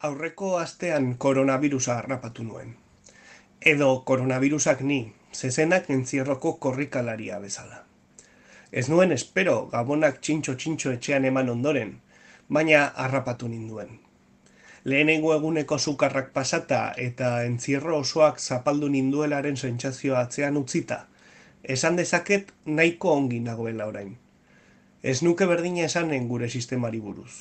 Aurreko astean koronavirusa harrapatu nuen. Edo koronavirusak ni, zezenak entzierroko korrikalaria bezala. Ez nuen espero gabonak txintxo etxean eman ondoren, baina harrapatu ninduen. Lehenengo eguneko sukarrak pasata eta entzierro osoak zapaldu ninduelaren sentsazioa atzean utzita, esan dezaket nahiko ongi nagoela orain. Ez nuke berdina esanen gure sistemari buruz.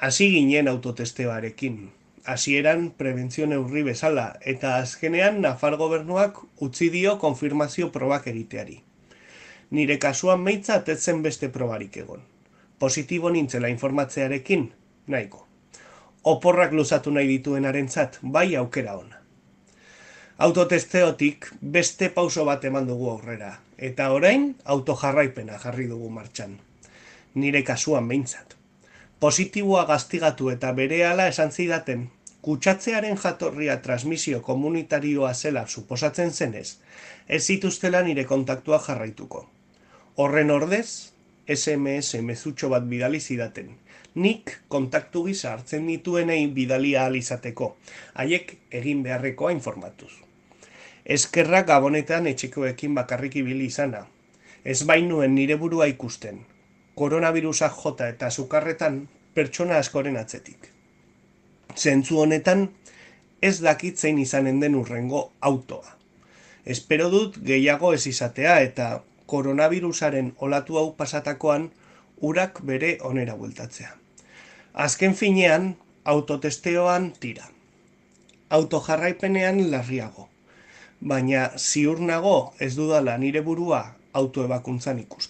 Hasi ginen autotesteoarekin. Hasieran prebentzio neurri bezala eta azkenean Nafar gobernuak utzi dio konfirmazio probak egiteari. Nire kasuan behintzat ez zen beste probarik egon. Positibo nintzela informatzearekin, nahiko. Oporrak luzatu nahi dituenarentzat, bai aukera ona. Autotesteotik beste pauso bat eman dugu aurrera, eta orain autojarraipena jarri dugu martxan. Nire kasuan behintzat. Positiboa gaztigatu eta berehala esan zidaten, kutsatzearen jatorria transmisio komunitarioa zela suposatzen zenez, ez zituztela nire kontaktua jarraituko. Horren ordez, SMS mezutxo bat bidali zidaten, nik kontaktu gisa hartzen dituenei bidalia ahal izateko, haiek egin beharrekoa informatuz. Eskerrak gabonetan etxekoekin bakarrik ibili izana. Ez bainuen nire burua ikusten. Koronavirusak jota eta sukarretan pertsona askoren atzetik. Zentzu honetan, ez dakit zein izanen den urrengo autoa. Espero dut gehiago ez izatea eta koronavirusaren olatu hau pasatakoan urak bere onera bueltatzea. Azken finean, autotesteoan tira. Autojarraipenean larriago. Baina ziur nago ez dudala nire burua autoebakuntzan ikusten.